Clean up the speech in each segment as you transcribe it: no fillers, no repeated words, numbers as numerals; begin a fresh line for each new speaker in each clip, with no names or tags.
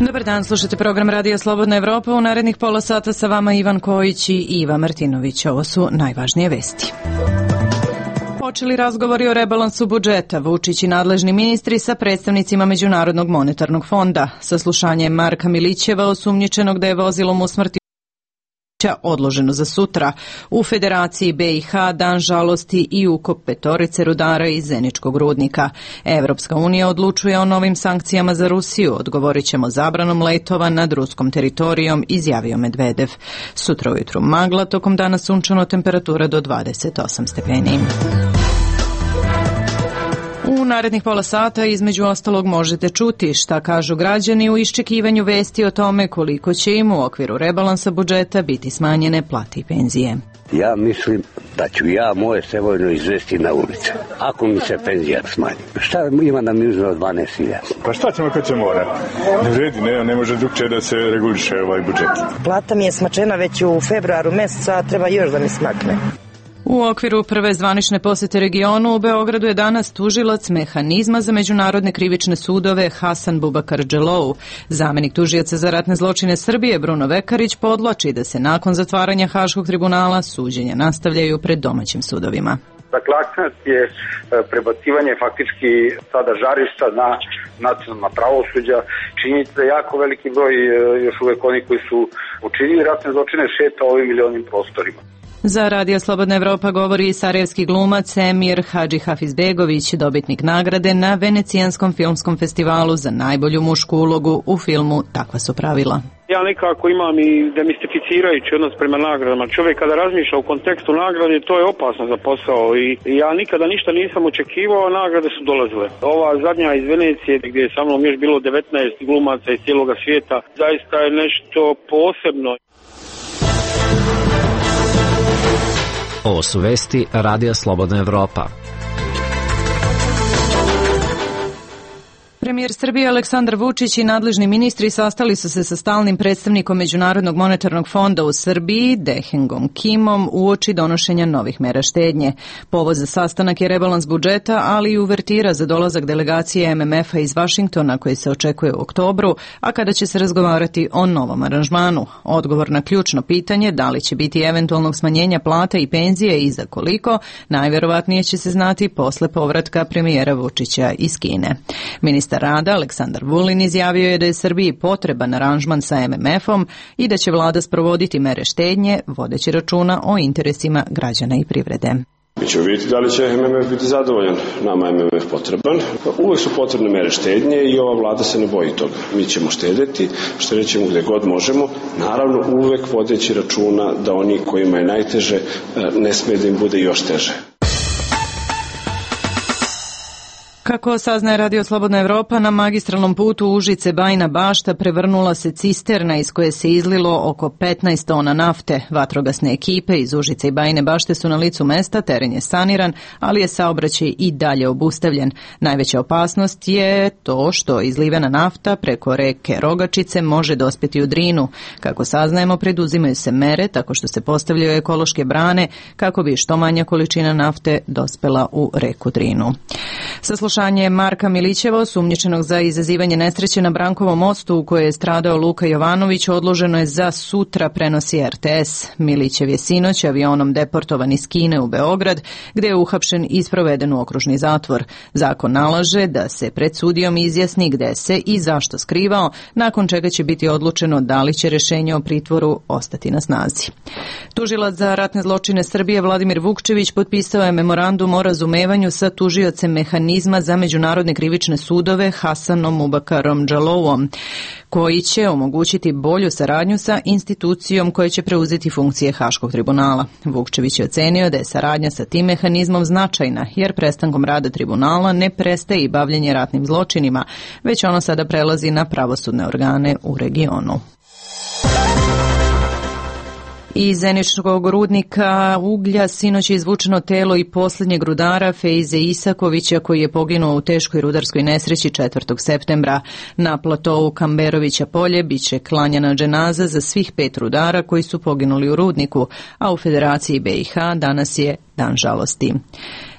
Dobar dan, slušate program Radio Slobodna Evropa. U narednih pola sata sa vama Ivan Kojić i Iva Martinović. Ovo su najvažnije vesti. Počeli razgovori o rebalansu budžeta. Vučić i nadležni ministri sa predstavnicima Međunarodnog monetarnog fonda. Saslušanje Marka Milićeva, osumnjičenog da je vozilom usmrtio odloženo za sutra. U Federaciji BiH dan žalosti i ukop petorice rudara iz Zeničkog rudnika. Evropska unija odlučuje o novim sankcijama za Rusiju. Odgovorit ćemo zabranom letova nad ruskom teritorijom, izjavio Medvedev. Sutra ujutru magla, tokom dana sunčano, temperatura do 28 stepeni. U narednih pola sata između ostalog možete čuti šta kažu građani u iščekivanju vesti o tome koliko će im u okviru rebalansa budžeta biti smanjene plate i penzije.
Ja mislim da ću ja moje Sevojno izvesti na ulicu, ako mi se penzija smanji. Šta ima da mi uzme od 12.000?
Pa šta ćemo kad će mora? Ne vredi, ne može drugčije da se reguliše ovaj budžet.
Plata mi je smačena već u februaru meseca, a treba još da mi smakne.
U okviru prve zvanične posete regionu u Beogradu je danas tužilac Mehanizma za međunarodne krivične sudove Hasan Bubakar Dželou. Zamenik tužioca za ratne zločine Srbije Bruno Vekarić podvlači da se nakon zatvaranja Haškog tribunala suđenja nastavljaju pred domaćim sudovima.
Dakle, akcent je prebacivanje faktički sada žarišta na nacionalna pravosuđa. Činjenica da jako veliki broj još uvek oni koji su učinili ratne zločine šeta ovim ili onim prostorima.
Za Radio Slobodna Evropa govori i sarajevski glumac Emir Hadži Hafizbegović, dobitnik nagrade na Venecijanskom filmskom festivalu za najbolju mušku ulogu u filmu Takva su pravila.
Ja nekako imam i demistificirajući odnos prema nagradama. Čovjek kada razmišlja u kontekstu nagrade, to je opasno za posao i ja nikada ništa nisam očekivao, a nagrade su dolazile. Ova zadnja iz Venecije, gdje je sa mnom još bilo 19 glumaca iz cijeloga svijeta, zaista je nešto posebno.
Ovo su vesti Radija Slobodna Evropa.
Premijer Srbije Aleksandar Vučić i nadležni ministri sastali su se sa stalnim predstavnikom Međunarodnog monetarnog fonda u Srbiji, Dehengom Kimom, uoči donošenja novih mera štednje. Povod za sastanak je rebalans budžeta, ali i uvertira za dolazak delegacije MMF-a iz Vašingtona koji se očekuje u oktobru, a kada će se razgovarati o novom aranžmanu. Odgovor na ključno pitanje da li će biti eventualnog smanjenja plata i penzije i za koliko, najvjerovatnije će se znati posle povratka premijera Vučića iz Kine. Ministar rada Aleksandar Vulin izjavio je da je Srbiji potreban aranžman sa MMF-om i da će vlada sprovoditi mere štednje, vodeći računa o interesima građana i privrede.
Mi ćemo vidjeti da li će MMF biti zadovoljan. Nama je MMF potreban. Uvijek su potrebne mere štednje i ova vlada se ne boji toga. Mi ćemo štedjeti, štedjet ćemo gdje god možemo. Naravno, uvijek vodeći računa da oni kojima je najteže ne smije da im bude još teže.
Kako saznaje Radio Slobodna Evropa, na magistralnom putu Užice-Bajina Bašta prevrnula se cisterna iz koje se izlilo oko 15 tona nafte. Vatrogasne ekipe iz Užice i Bajine Bašte su na licu mesta, teren je saniran, ali je saobraćaj i dalje obustavljen. Najveća opasnost je to što izlivena nafta preko reke Rogačice može dospjeti u Drinu. Kako saznajemo, preduzimaju se mere tako što se postavljaju ekološke brane kako bi što manja količina nafte dospela u reku Drinu. Saslušanje Marka Milićeva, osumnjičenog za izazivanje nesreće na Brankovom mostu u kojoj je stradao Luka Jovanović, odloženo je za sutra, prenosi RTS. Milićev je sinoć avionom deportovan iz Kine u Beograd, gdje je uhapšen i sproveden u okružni zatvor. Zakon nalaže da se pred sudijom izjasni gdje se i zašto skrivao, nakon čega će biti odlučeno da li će rješenje o pritvoru ostati na snazi. Tužilac za ratne zločine Srbije Vladimir Vukčević potpisao je memorandum o razumevanju sa tužiocem Mehanizma za međunarodne krivične sudove Hasanom Bubakarom Dželouom, koji će omogućiti bolju saradnju sa institucijom koja će preuzeti funkcije Haškog tribunala. Vukčević je ocenio da je saradnja sa tim mehanizmom značajna, jer prestankom rada tribunala ne prestaje i bavljenje ratnim zločinima, već ono sada prelazi na pravosudne organe u regionu. Iz Zeničkog rudnika uglja sinoć je izvučeno telo i posljednjeg rudara Fejze Isakovića koji je poginuo u teškoj rudarskoj nesreći 4. septembra. Na platovu Kamberovića polje biće klanjana dženaza za svih 5 rudara koji su poginuli u rudniku, a u Federaciji BiH danas je dan žalosti.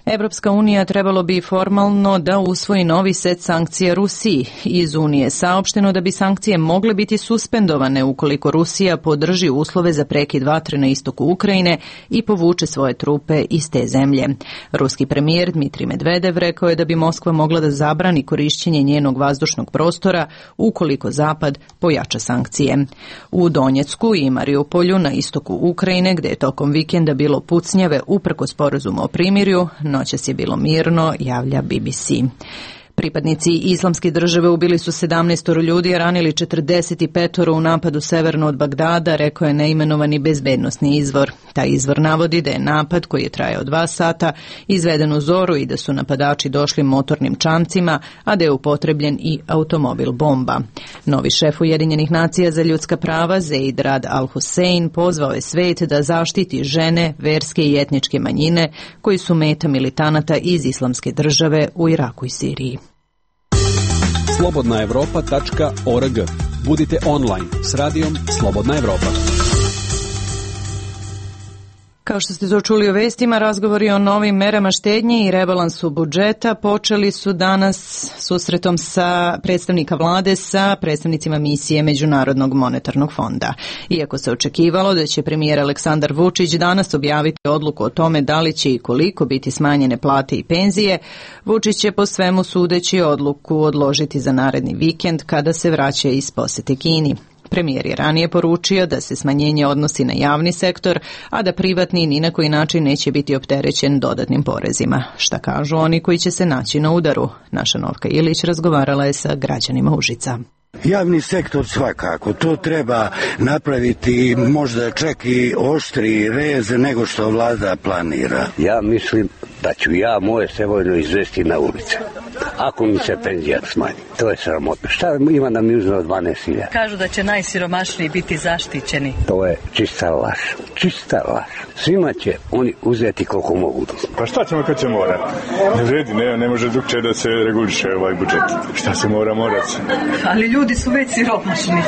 Evropska unija trebalo bi formalno da usvoji novi set sankcija Rusiji. Iz Unije saopšteno da bi sankcije mogle biti suspendovane ukoliko Rusija podrži uslove za prekid vatre na istoku Ukrajine i povuče svoje trupe iz te zemlje. Ruski premijer Dmitrij Medvedev rekao je da bi Moskva mogla da zabrani korišćenje njenog vazdušnog prostora ukoliko Zapad pojača sankcije. U Donjecku i Mariupolju na istoku Ukrajine, gde je tokom vikenda bilo pucnjave uprkos sporazuma o primirju, noćas je bilo mirno, javlja BBC. Pripadnici Islamske države ubili su 17 ljudi, a ranili 45 u napadu severno od Bagdada, rekao je neimenovani bezbednosni izvor. Taj izvor navodi da je napad, koji je trajao 2 sata, izveden u zoru i da su napadači došli motornim čamcima, a da je upotrebljen i automobil bomba. Novi šef Ujedinjenih nacija za ljudska prava, Zeid Rad al-Hussein, pozvao je svet da zaštiti žene, verske i etničke manjine koji su meta militanata iz Islamske države u Iraku i Siriji.
slobodnaevropa.org. Budite online s radijom Slobodna Evropa.
Kao što ste to čuli u vestima, razgovori o novim merama štednje i rebalansu budžeta počeli su danas susretom sa predstavnika vlade sa predstavnicima misije Međunarodnog monetarnog fonda. Iako se očekivalo da će premijer Aleksandar Vučić danas objaviti odluku o tome da li će i koliko biti smanjene plate i penzije, Vučić će po svemu sudeći odluku odložiti za naredni vikend kada se vraća iz posete Kini. Premijer je ranije poručio da se smanjenje odnosi na javni sektor, a da privatni ni na koji način neće biti opterećen dodatnim porezima. Šta kažu oni koji će se naći na udaru? Naša Novka Ilić razgovarala je sa građanima Užica.
Javni sektor svakako, to treba napraviti možda čak i oštri rez nego što vlada planira.
Ja mislim da ću ja moje sevojno izvesti na ulice. Ako mi se penzija smanji, to je sramotno. Šta ima nam uzme od 12.000?
Kažu da će najsiromašniji biti zaštićeni.
To je čista laž. Čista laž. Svima će oni uzeti koliko mogu.
Pa šta ćemo kad će mora? Ne vredi, ne može drugčije da se reguliše ovaj budžet. Šta se mora se.
Ali ljudi su već siromašni.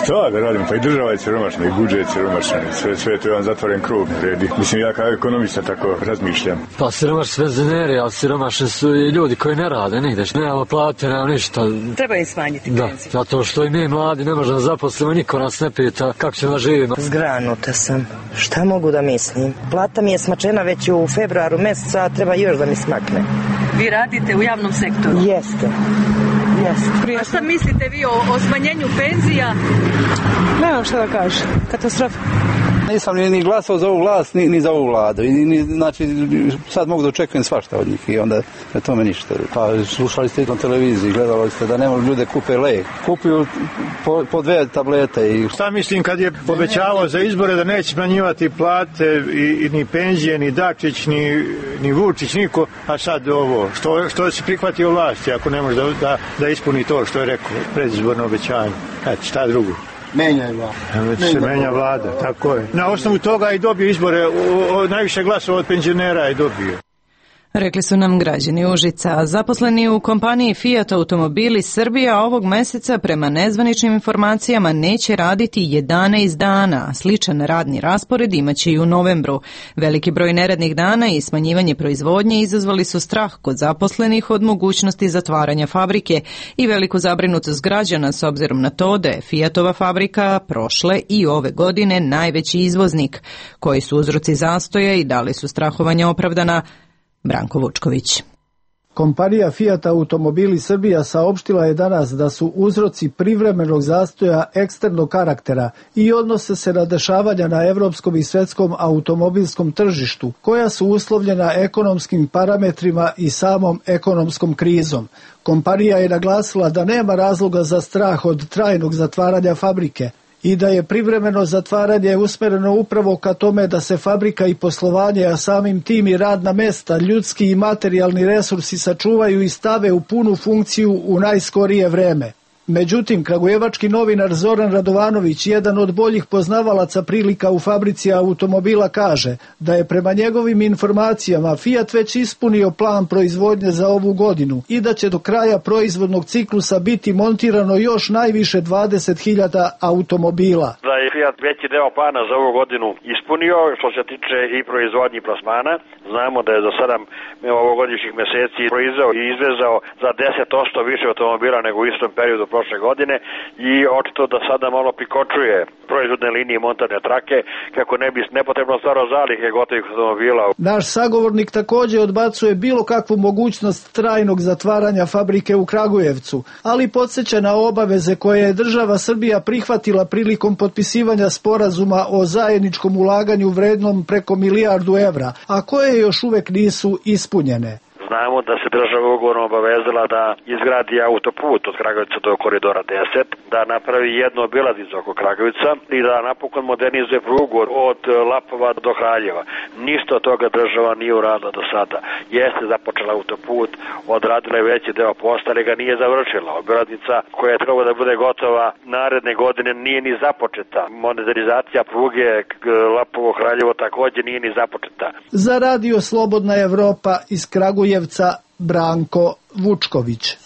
Šta da radimo? Pa i država je siromašna, i budžet je siromašan. Sve to je jedan zatvoren krug. Vredi. Mislim, ja kao ekonomista tako razmišljam.
Pa siromašni penzioneri, ali siromašni su i ljudi koji ne rade nigde. Nemamo plate, nemamo ništa.
Treba im smanjiti penziju.
Da, zato što i mi mladi ne možemo zaposliti, niko nas ne pita kako ćemo da živimo.
Zgranuta sam. Šta mogu da mislim? Plata mi je smačena već u februaru meseca, a treba još da mi smakne.
Vi radite u javnom sektoru?
Jeste.
A šta mislite vi o smanjenju penzija?
Nemam šta da kažem. Katastrofa.
Nisam ni glasao za ovu vlast, ni za ovu vladu. Znači, sad mogu da očekujem svašta od njih i onda na tome ništa. Pa slušali ste na televiziji, gledali ste da nema ljude kupe lek. Kupuju po 2 tablete. I...
Šta mislim kad je povećavao za izbore da neće smanjivati plate i ni penzije, ni Dačić, ni Vučić, niko, a sad ovo. Što se prihvatio vlasti ako ne može da ispuni to što je rekao predizborno obećanje. Eto, šta drugo? Menja vlada, tako je. Na osnovu toga i dobio izbore, najviše glasova od penzionera je dobio.
Rekli su nam građani Užica. Zaposleni u kompaniji Fiat Automobili Srbija ovog meseca prema nezvaničnim informacijama neće raditi 11 dana. Sličan radni raspored imaće i u novembru. Veliki broj neradnih dana i smanjivanje proizvodnje izazvali su strah kod zaposlenih od mogućnosti zatvaranja fabrike i veliku zabrinutost građana s obzirom na to da je Fiatova fabrika prošle i ove godine najveći izvoznik. Koji su uzroci zastoja i da li su strahovanja opravdana? Branko Vučković.
Kompanija Fiat Automobili Srbija saopštila je danas da su uzroci privremenog zastoja eksternog karaktera i odnose se na dešavanja na evropskom i svetskom automobilskom tržištu, koja su uslovljena ekonomskim parametrima i samom ekonomskom krizom. Kompanija je naglasila da nema razloga za strah od trajnog zatvaranja fabrike i da je privremeno zatvaranje usmereno upravo ka tome da se fabrika i poslovanje, a samim tim i radna mesta, ljudski i materijalni resursi sačuvaju i stave u punu funkciju u najskorije vreme. Međutim, kragujevački novinar Zoran Radovanović, jedan od boljih poznavalaca prilika u fabrici automobila, kaže da je prema njegovim informacijama Fiat već ispunio plan proizvodnje za ovu godinu i da će do kraja proizvodnog ciklusa biti montirano još najviše 20.000 automobila.
Da je Fiat veći deo plana za ovu godinu ispunio, što se tiče i proizvodnji plasmana. Znamo da je za 7 ovogodišnjih meseci proizveo i izvezao za 10% više automobila nego u istom periodu prošle godine i očito da sada malo prikočuje proizvodne linije i montažne trake kako ne bi nepotrebno stvarao zalihe gotovih automobila.
Naš sagovornik također odbacuje bilo kakvu mogućnost trajnog zatvaranja fabrike u Kragujevcu, ali podsjeća na obaveze koje je država Srbija prihvatila prilikom potpisivanja sporazuma o zajedničkom ulaganju vrednom preko 1 milijardu evra, a koje još uvek nisu ispunjene.
Znamo da se država ugovorom obavezala da izgradi autoput od Kragujevca do koridora 10, da napravi jednu obilaznicu oko Kragujevca i da napokon modernizuje prugu od Lapova do Kraljeva. Ništa od toga država nije uradila do sada. Jeste započela autoput, odradila je veći deo posla, ali ga nije završila. Obilaznica koja je trebala da bude gotova naredne godine nije ni započeta. Modernizacija pruge Lapovo-Kraljevo također nije ni započeta.
Za Radio Slobodna Evropa iz Kragujevca Branko Vučković.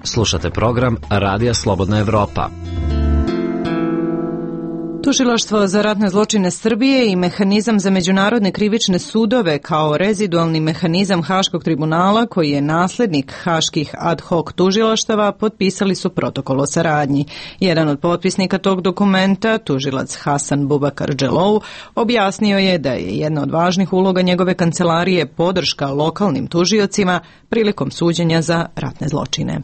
Slušate program Radija Slobodna Evropa.
Tužilaštvo za ratne zločine Srbije i mehanizam za međunarodne krivične sudove kao rezidualni mehanizam Haškog tribunala, koji je naslednik haških ad hoc tužilaštava, potpisali su protokol o saradnji. Jedan od potpisnika tog dokumenta, tužilac Hasan Bubakar Dželou, objasnio je da je jedna od važnih uloga njegove kancelarije podrška lokalnim tužiocima prilikom suđenja za ratne zločine.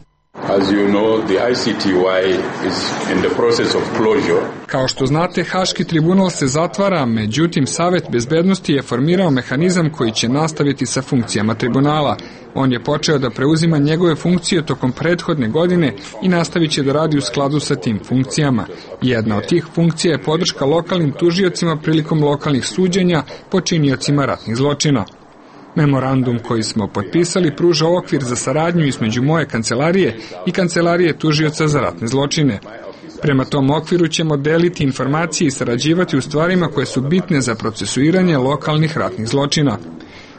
As you know, the ICTY is in the process of closure.
Kao što znate, Haški tribunal se zatvara, međutim Savet bezbednosti je formirao mehanizam koji će nastaviti sa funkcijama tribunala. On je počeo da preuzima njegove funkcije tokom prethodne godine i nastavit će da radi u skladu sa tim funkcijama. Jedna od tih funkcija je podrška lokalnim tužiocima prilikom lokalnih suđenja počiniocima ratnih zločina. Memorandum koji smo potpisali pruža okvir za saradnju između moje kancelarije i kancelarije tužioca za ratne zločine. Prema tom okviru ćemo deliti informacije i sarađivati u stvarima koje su bitne za procesuiranje lokalnih ratnih zločina.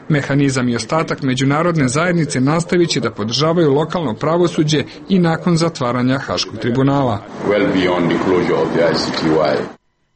Mehanizam i ostatak međunarodne zajednice nastavit će da podržavaju lokalno pravosuđe i nakon zatvaranja Haškog tribunala.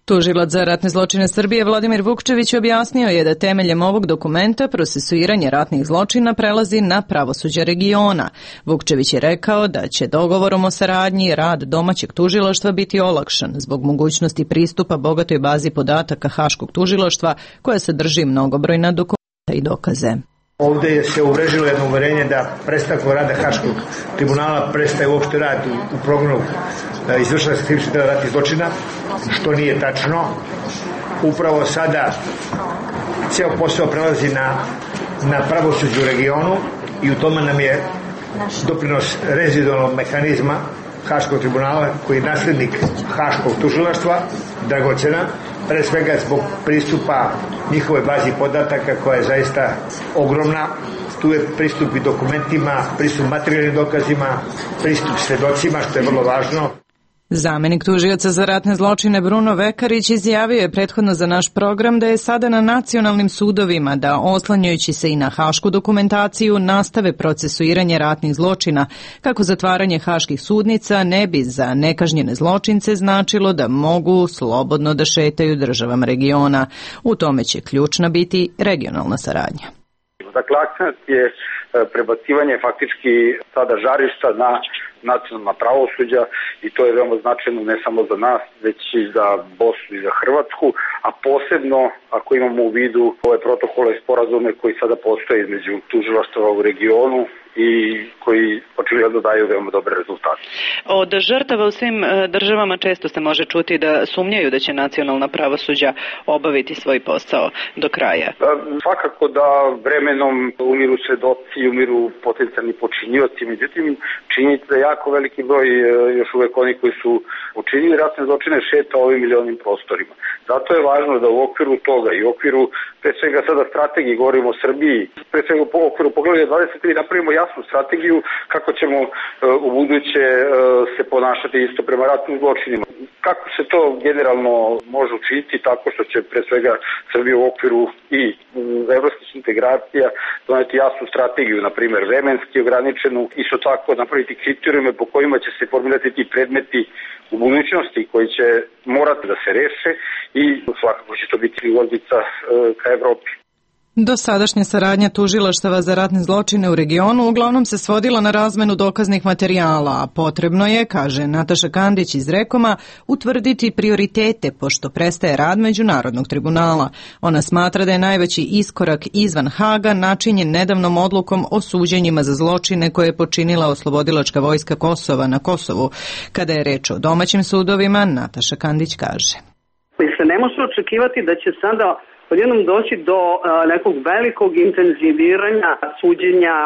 Tužilac za ratne zločine Srbije Vladimir Vukčević objasnio je da temeljem ovog dokumenta procesuiranje ratnih zločina prelazi na pravosuđe regiona. Vukčević je rekao da će dogovorom o saradnji rad domaćeg tužilaštva biti olakšan zbog mogućnosti pristupa bogatoj bazi podataka Haškog tužilaštva koja sadrži mnogobrojna dokumenta i dokaze.
Ovdje se uvrežilo jedno uverenje da prestankom rada Haškog tribunala prestaje uopšte rad u progonu izvršenja krivičnih dela ratnih zločina, što nije tačno. Upravo sada ceo posao prelazi na pravosuđe u regionu i u tome nam je doprinos rezidualnog mehanizma Haškog tribunala, koji je naslednik Haškog tužilaštva, dragocena, pre svega zbog pristupa njihove bazi podataka koja je zaista ogromna. Tu je pristup i dokumentima, pristup materijalnim dokazima, pristup svedocima, što je vrlo važno.
Zamenik tužioca za ratne zločine Bruno Vekarić izjavio je prethodno za naš program da je sada na nacionalnim sudovima da, oslanjajući se i na hašku dokumentaciju, nastave procesuiranje ratnih zločina, kako zatvaranje haških sudnica ne bi za nekažnjene zločince značilo da mogu slobodno da šetaju državama regiona. U tome će ključna biti regionalna saradnja.
Dakle, akcent je prebacivanje faktički sada žarišta na nacionalna pravosuđa i to je veoma značajno ne samo za nas, već i za Bosnu i za Hrvatsku, a posebno ako imamo u vidu ove protokole i sporazume koji sada postoje između tužilaštava u regionu i koji očigledno daju veoma dobre rezultate.
Od žrtava u svim državama često se može čuti da sumnjaju da će nacionalna pravosuđa obaviti svoj posao do kraja.
Svakako da vremenom umiru svedoci, umiru potencijalni počinioci, međutim činjenica da jako veliki broj još uvek oni koji su učinili ratne zločine šeta ovim ili onim prostorima. Zato je važno da u okviru toga i u okviru pre svega sada strategiji, govorimo o Srbiji, pre svega u okviru poglavlja 23 napravimo jasnu strategiju kako će ćemo u buduće se ponašati isto prema ratnim zločinima. Kako se to generalno može učiniti? Tako što će pre svega Srbija u okviru i evropskih integracija doneti jasnu strategiju, na primjer vremenski ograničenu, isto tako napraviti kriterijume po kojima će se formirati ti predmeti u budućnosti koji će morati da se reše i svakako će to biti ulaznica ka Evropi.
Dosadašnja saradnja tužilaštava za ratne zločine u regionu uglavnom se svodila na razmenu dokaznih materijala, a potrebno je, kaže Nataša Kandić iz Rekoma, utvrditi prioritete pošto prestaje rad Međunarodnog tribunala. Ona smatra da je najveći iskorak izvan Haga načinjen nedavnom odlukom o suđenjima za zločine koje je počinila oslobodilačka vojska Kosova na Kosovu. Kada je reč o domaćim sudovima, Nataša Kandić kaže.
Ne može očekivati da će sada odjednom doći do nekog velikog intenziviranja suđenja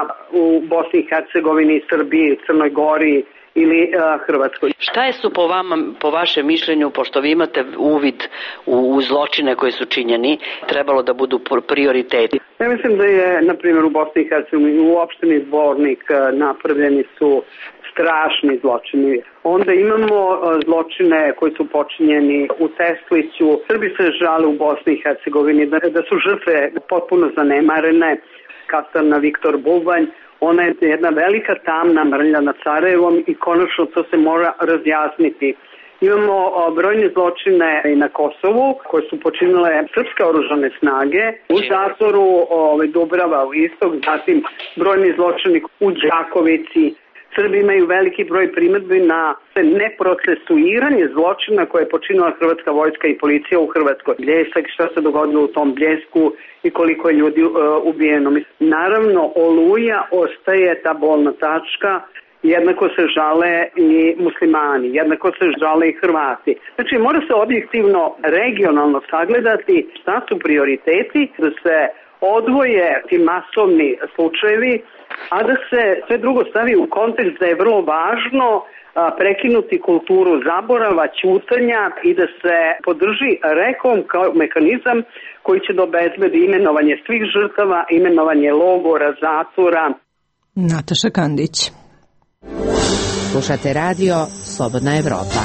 u Bosni i Hercegovini, Srbiji, Crnoj Gori ili Hrvatskoj.
Šta je su po vama, po vašem mišljenju, pošto vi imate uvid u zločine koji su činjeni, trebalo da budu prioriteti?
Ja mislim da je, na primjer, u Bosni i Hercegovini u opštini Zvornik napravljeni su strašni zločini. Onda imamo zločine koji su počinjeni u Tesliću. Srbi se žale u Bosni i Hercegovini da su žrtve potpuno zanemarene. Kastarna Viktor Bubanj, ona je jedna velika tamna mrlja nad Sarajevom i konačno to se mora razjasniti. Imamo brojne zločine i na Kosovu koje su počinile srpske oružane snage u zatvoru Dubrava u istok, zatim brojni zločini u Đakovici. Srbi imaju veliki broj primedbi na neprocesuiranje zločina koje je počinila hrvatska vojska i policija u Hrvatskoj. Bljesak, šta se dogodilo u tom Bljesku i koliko je ljudi ubijeno. Naravno, Oluja ostaje ta bolna tačka, jednako se žale i muslimani, jednako se žale i Hrvati. Znači, mora se objektivno, regionalno sagledati šta su prioriteti, da se odvoje ti masovni slučajevi, a da se sve drugo stavi u kontekst da je vrlo važno prekinuti kulturu zaborava, ćutanja i da se podrži rekom kao mehanizam koji će da obezbedi imenovanje svih žrtava, imenovanje logora, zatvora.
Nataša Kandić.
Slušate radio Slobodna Evropa.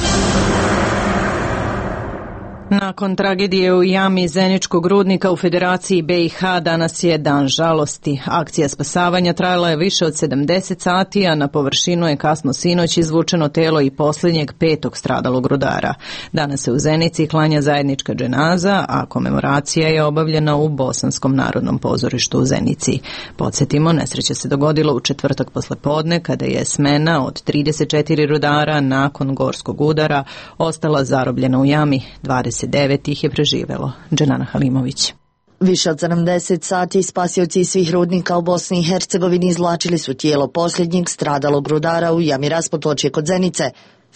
Nakon tragedije u jami Zeničkog rudnika u Federaciji BiH danas je dan žalosti. Akcija spasavanja trajala je više od 70 sati, a na površinu je kasno sinoć izvučeno telo i posljednjeg 5. stradalog rudara. Danas se u Zenici klanja zajednička dženaza, a komemoracija je obavljena u Bosanskom narodnom pozorištu u Zenici. Podsjetimo, nesreća se dogodila u četvrtak poslepodne kada je smena od 34 rudara nakon gorskog udara ostala zarobljena u jami. 29 ih je preživelo. Dženana Halimović.
Više od 70 sati spasioci svih rudnika u Bosni i Hercegovini izvlačili su tijelo posljednjeg stradalog rudara u jami Raspotočje kod Zenice.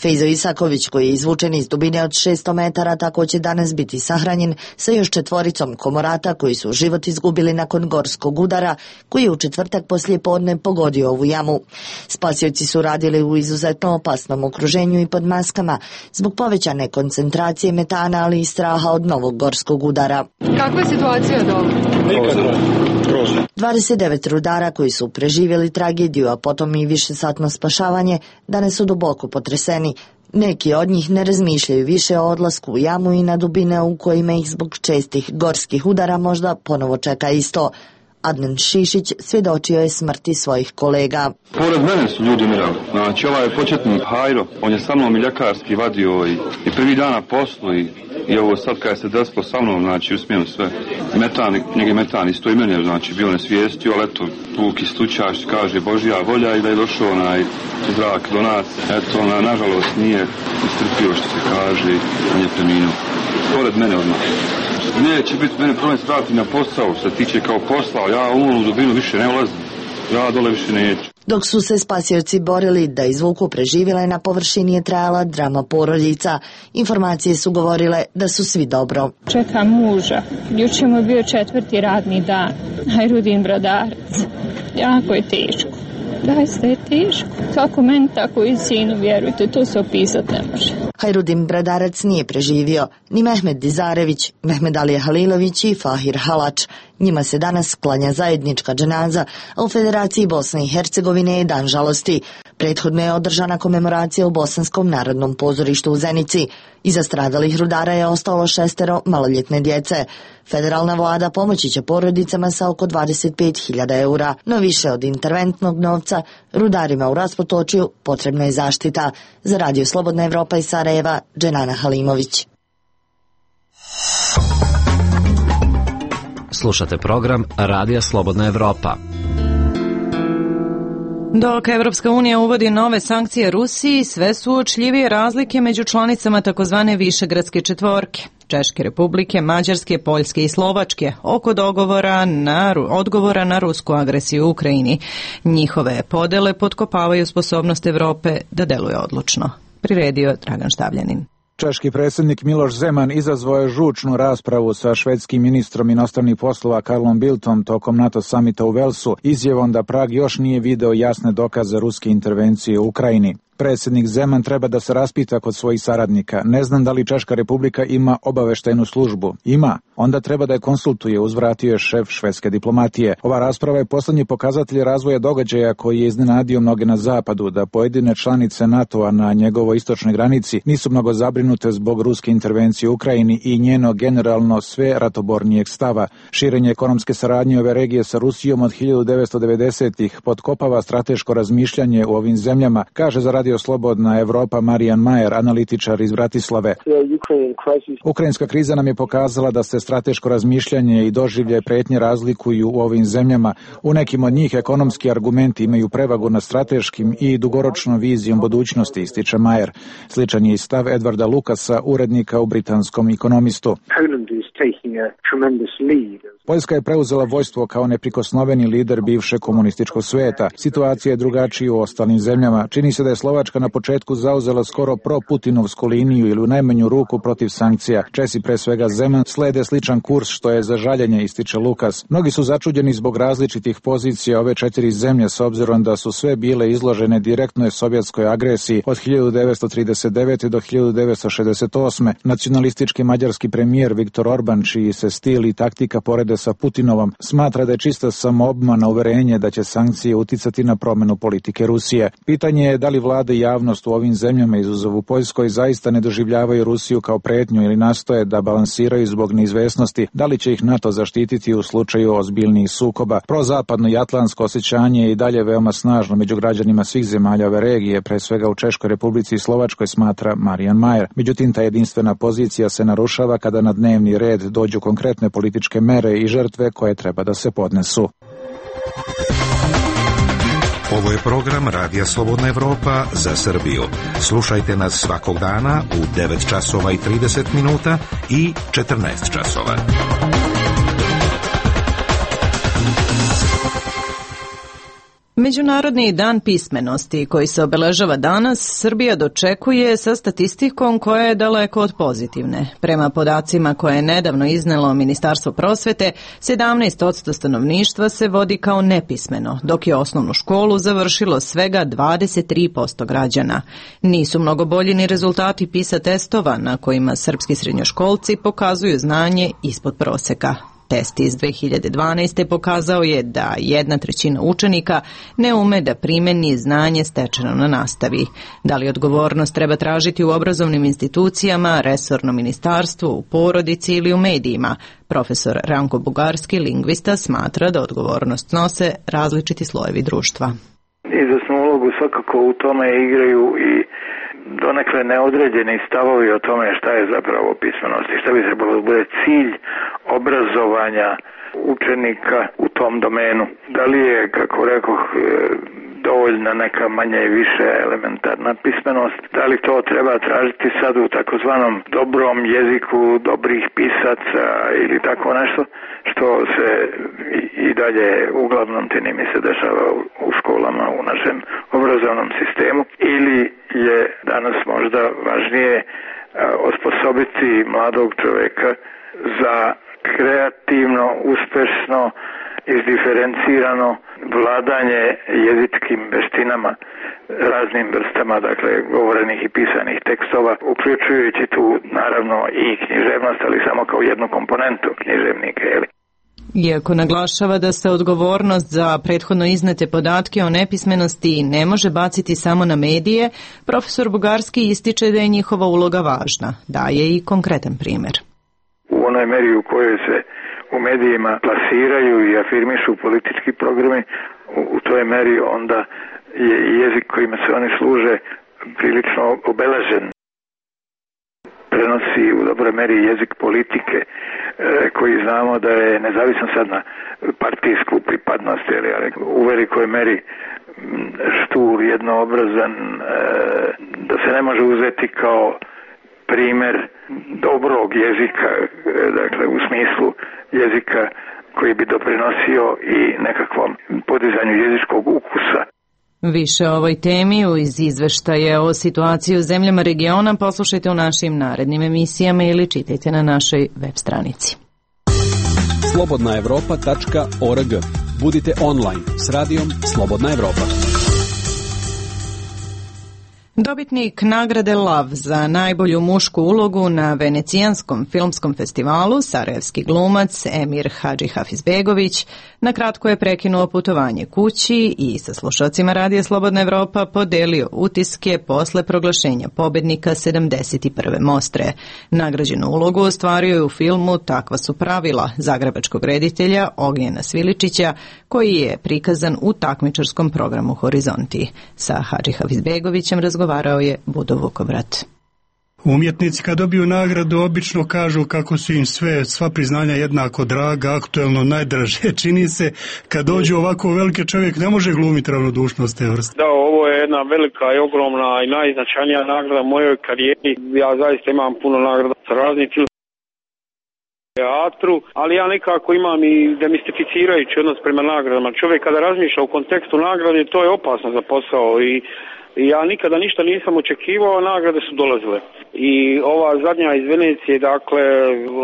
Fejzo Isaković, koji je izvučen iz dubine od 600 metara, tako će danas biti sahranjen sa još 4 komorata koji su život izgubili nakon gorskog udara, koji je u četvrtak poslijepodne pogodio ovu jamu. Spasioci su radili u izuzetno opasnom okruženju i pod maskama, zbog povećane koncentracije metana, ali i straha od novog gorskog udara.
Kakva je situacija dole?
29 rudara koji su preživjeli tragediju, a potom i višesatno spašavanje, danas su duboko potreseni. Neki od njih ne razmišljaju više o odlasku u jamu i na dubine u kojima ih zbog čestih gorskih udara možda ponovo čeka isto. Adnan Šišić svjedočio je smrti svojih kolega.
Pored mene su ljudi umirali. Znači, ovaj početnik Hajro, on je sa mnom i ljekarski vadio i prvi dan na poslu i ovo sad kada se desilo sa mnom, znači, usmijeno sve. Njegi metan isto i mene, znači, bio nesvijestio, ali eto, Vuk istučaš, kaže Božja volja i da je došao onaj zrak do nas. Eto, nažalost nije istrpio što se kaže, on je preminuo. Pored mene odmah. Neće biti mene problem strati na posao, što se tiče kao posla, ja u onu dubinu više ne ulazim, ja dole više neću.
Dok su se spasioci borili da izvuku preživjele, na površini je trajala drama porodica. Informacije su govorile da su svi dobro.
Čekam muža, jučer mu je bio 4. radni dan, Hajrudin Bradarac, jako je teško. Zaista je teško. Kako meni, tako i sinu, vjerujte, to se opisati ne može.
Hajrudin Bradarac nije preživio, ni Mehmed Dizarević, Mehmed Ali Halilović i Fahir Halač. Njima se danas klanja zajednička dženaza, a u Federaciji Bosne i Hercegovine je dan žalosti. Prethodno je održana komemoracija u Bosanskom narodnom pozorištu u Zenici. Iza stradalih rudara je ostalo 6 maloljetne djece. Federalna vlada pomoći će porodicama sa oko 25.000 eura, no više od interventnog novca rudarima u Raspotočju potrebna je zaštita. Za Radio Slobodna Evropa iz Sarajeva, Dženana Halimović.
Slušate program Radija Slobodna Evropa.
Dok Evropska unija uvodi nove sankcije Rusiji, sve su uočljivije razlike među članicama takozvane Višegradske četvorke, Češke republike, Mađarske, Poljske i Slovačke, oko odgovora na rusku agresiju u Ukrajini. Njihove podele potkopavaju sposobnost Evrope da deluje odlučno. Priredio Dragan Štavljanin.
Češki predsjednik Miloš Zeman izazvao je žučnu raspravu sa švedskim ministrom inostranih poslova Karlom Bildtom tokom NATO samita u Velsu, izjavom da Prag još nije video jasne dokaze ruske intervencije u Ukrajini. Predsjednik Zeman treba da se raspita kod svojih saradnika. Ne znam da li Češka republika ima obaveštajnu službu. Ima. Onda treba da je konsultuje, uzvratio je šef švedske diplomatije. Ova rasprava je poslednji pokazatelj razvoja događaja koji je iznenadio mnoge na zapadu, da pojedine članice NATO-a na njegovoj istočnoj granici nisu mnogo zabrinute zbog ruske intervencije u Ukrajini i njeno generalno sve ratobornijeg stava. Širenje ekonomske saradnje ove regije sa Rusijom od 1990-ih potkopava strateško razmišljanje u ovim zemljama, kaže za Radio Slobodna Evropa Marijan Majer, analitičar iz Bratislave. Ukrajinska kriza nam je pokazala da se strateško razmišljanje i doživljaj pretnje razlikuju u ovim zemljama. U nekim od njih ekonomski argumenti imaju prevagu nad strateškim i dugoročnom vizijom budućnosti, ističe Majer. Sličan je i stav Edvarda Lukasa, urednika u Britanskom Ekonomistu. Poljska je preuzela vojstvo kao neprikosnoveni lider bivšeg komunističkog sveta. Situacija je drugačija u ostalim zemljama. Čini se da je Slovačka na početku zauzela skoro pro-Putinovsku liniju ili u najmanju ruku protiv sankcija. Česi, pre svega Zeman, slede sličan kurs, što je za žaljenje, ističe Lukas. Mnogi su začuđeni zbog različitih pozicija ove 4 zemlje s obzirom da su sve bile izložene direktnoj sovjetskoj agresiji od 1939. do 1968. Nacionalistički mađarski premijer Viktor Orban, čiji se stil i taktika porede sa Putinovom, smatra da je čista samoobmana uverenje da će sankcije uticati na promenu politike Rusije. Pitanje je da li vlada i javnost u ovim zemljama, izuzev u Poljskoj, zaista ne doživljavaju Rusiju kao pretnju ili nastoje da balansiraju zbog neizvesnosti, da li će ih NATO zaštititi u slučaju ozbiljnijih sukoba. Prozapadno i atlantsko osjećanje je i dalje veoma snažno među građanima svih zemalja ove regije, pre svega u Češkoj republici i Slovačkoj, smatra Marijan Majer. Međutim, ta jedinstvena pozicija se narušava kada na dnevni red dođu konkretne političke mere i žrtve koje treba da se podnesu.
Ovo je program Radija Slobodna Evropa za Srbiju. Slušajte nas svakog dana u 9 časova i 30 minuta i 14 časova.
Međunarodni dan pismenosti koji se obeležava danas, Srbija dočekuje sa statistikom koja je daleko od pozitivne. Prema podacima koje je nedavno iznelo Ministarstvo prosvete, 17% stanovništva se vodi kao nepismeno, dok je osnovnu školu završilo svega 23% građana. Nisu mnogo bolji ni rezultati PISA testova na kojima srpski srednjoškolci pokazuju znanje ispod proseka. Test iz 2012. pokazao je da 1/3 učenika ne ume da primeni znanje stečeno na nastavi. Da li odgovornost treba tražiti u obrazovnim institucijama, resornom ministarstvu, u porodici ili u medijima? Profesor Ranko Bugarski, lingvista, smatra da odgovornost nose različiti slojevi društva.
Izvesnu ulogu svakako u tome igraju i donekle neodređeni stavovi o tome šta je zapravo pismenost i šta bi trebalo da bude cilj obrazovanja učenika u tom domenu. Da li je, kako rekoh, dovoljna neka manja i više elementarna pismenost, da li to treba tražiti sad u takozvanom dobrom jeziku dobrih pisaca ili tako nešto, što se i dalje uglavnom čini mi se dešava u školama u našem obrazovnom sistemu, ili je danas možda važnije osposobiti mladog čoveka za kreativno, uspešno, izdiferencirano vladanje jezičkim veštinama, raznim vrstama, dakle, govorenih i pisanih tekstova, uključujući tu naravno i književnost, ali samo kao jednu komponentu književnika, jeli?
Iako naglašava da se odgovornost za prethodno iznete podatke o nepismenosti ne može baciti samo na medije, profesor Bugarski ističe da je njihova uloga važna. Daje i konkretan primjer.
U onoj meri u kojoj se u medijima plasiraju i afirmišu politički programi, u toj meri onda je jezik kojima se oni služe prilično obeležen. Prenosi u dobroj meri jezik politike koji znamo da je nezavisan sad na partijsku pripadnost, ali u velikoj meri štur, jednoobrazan, da se ne može uzeti kao primjer dobrog jezika, dakle u smislu jezika koji bi doprinosio i nekakvom podizanju jezičkog ukusa.
Više o ovoj temi iz izveštaje o situaciji u zemljama regiona poslušajte u našim narednim emisijama ili čitajte na našoj web stranici.
slobodnaevropa.org. Budite online s radijom Slobodna Evropa.
Dobitnik nagrade LAV za najbolju mušku ulogu na Venecijanskom filmskom festivalu, sarajevski glumac Emir Hadžihafizbegović, na kratko je prekinuo putovanje kući i sa slušalcima Radija Slobodna Evropa podelio utiske posle proglašenja pobednika 71. Mostre. Nagrađenu ulogu ostvario je u filmu Takva su pravila zagrebačkog reditelja Ognjena Sviličića, koji je prikazan u takmičarskom programu Horizonti. Sa Hadžihafizbegovićem razgovarao je Budo Vukovrat.
Umjetnici kad dobiju nagradu obično kažu kako su im sva priznanja jednako draga, aktuelno najdraže. Čini se kad dođe ovako veliki čovjek ne može glumiti ravnodušnost te vrste.
Da, ovo je jedna velika i ogromna i najznačajnija nagrada u mojoj karijeri. Ja zaista imam puno nagrada sa raznih teatru, ali ja nekako imam i demistificirajući odnos prema nagradama. Čovjek kada razmišlja u kontekstu nagrade, to je opasno za posao i ja nikada ništa nisam očekivao, a nagrade su dolazile. I ova zadnja iz Venecije, dakle,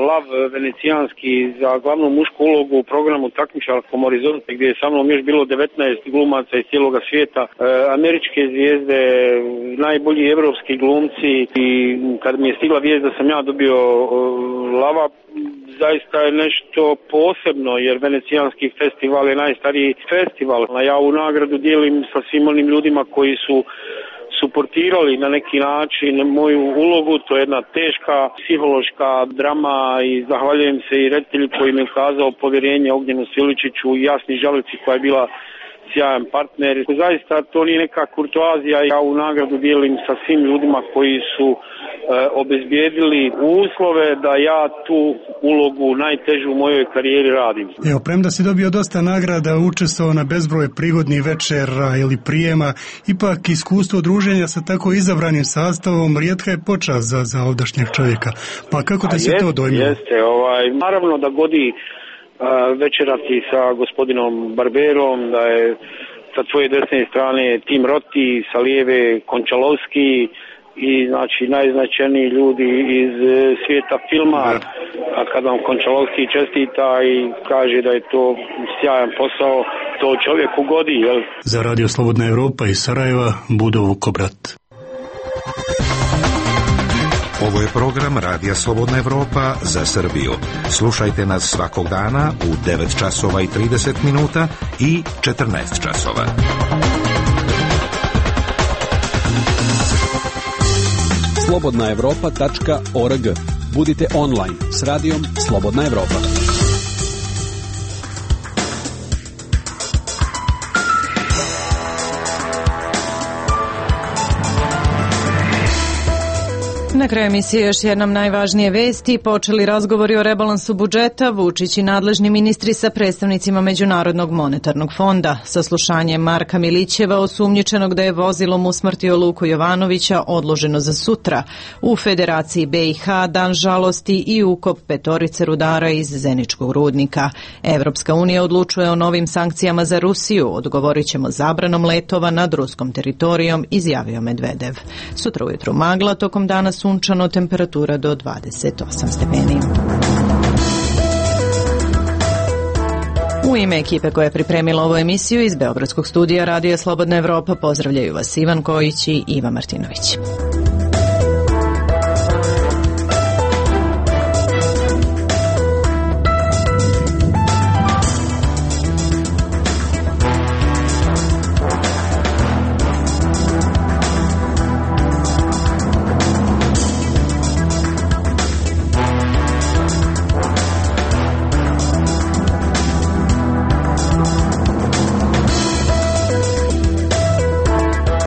LAV venecijanski za glavnu mušku ulogu u programu takmičarskom Horizonte, gdje je sa mnom još bilo 19 glumaca iz cijeloga svijeta, američke zvijezde, najbolji evropski glumci, i kad mi je stigla vijest da sam ja dobio LAV-a, zaista je nešto posebno, jer Venecijanski festival je najstariji festival. Ja ovu nagradu dijelim sa svim onim ljudima koji su suportirali na neki način moju ulogu. To je jedna teška psihološka drama i zahvaljujem se i reditelju koji mi je ukazao povjerenje Ognjenu Sviličiću i Jasni Žalici koja je bila sjajan partner. Zaista to nije neka kurtoazija, ja ovu nagradu dijelim sa svim ljudima koji su obezbijedili uslove da ja tu ulogu najtežu u mojoj karijeri radim.
Evo, premda si dobio dosta nagrada, učestvovao na bezbroj prigodnih večera ili prijema, ipak iskustvo druženja sa tako izabranim sastavom rijetka je počast za ovdašnjeg čovjeka. Pa kako te se to dojmilo?
Jeste, naravno da godi večerati sa gospodinom Barberom, da je sa tvoje desne strane Tim Roti, sa lijeve Končalovski i znači najznačajniji ljudi iz svijeta filma. A kad vam Končalovski čestita i kaže da je to sjajan posao, to čovjeku godi, jel?
Za Radio Slobodna Evropa iz Sarajeva, Budo Vukovrat.
Ovo je program Radija Slobodna Evropa za Srbiju. Slušajte nas svakog dana u 9 časova i 30 minuta i 14 časova.
slobodnaevropa.org. Budite online s radijom Slobodna Evropa.
Na kraju emisije još jednom najvažnije vesti. Počeli razgovori o rebalansu budžeta. Vučić i nadležni ministri sa predstavnicima Međunarodnog monetarnog fonda. Saslušanje Marka Milićeva, osumnjičenog da je vozilom usmrtio Luku Jovanovića, odloženo za sutra. U Federaciji BiH dan žalosti i ukop 5 rudara iz Zeničkog rudnika. Evropska unija odlučuje o novim sankcijama za Rusiju. Odgovorit ćemo zabranom letova nad ruskom teritorijom, izjavio Medvedev. Sutra ujutru magla, tokom dana sunčano, temperatura do 28 stepeni. U ime ekipe koja je pripremila ovu emisiju iz Beogradskog studija Radija Slobodna Evropa pozdravljaju vas Ivan Kojić i Iva Martinović.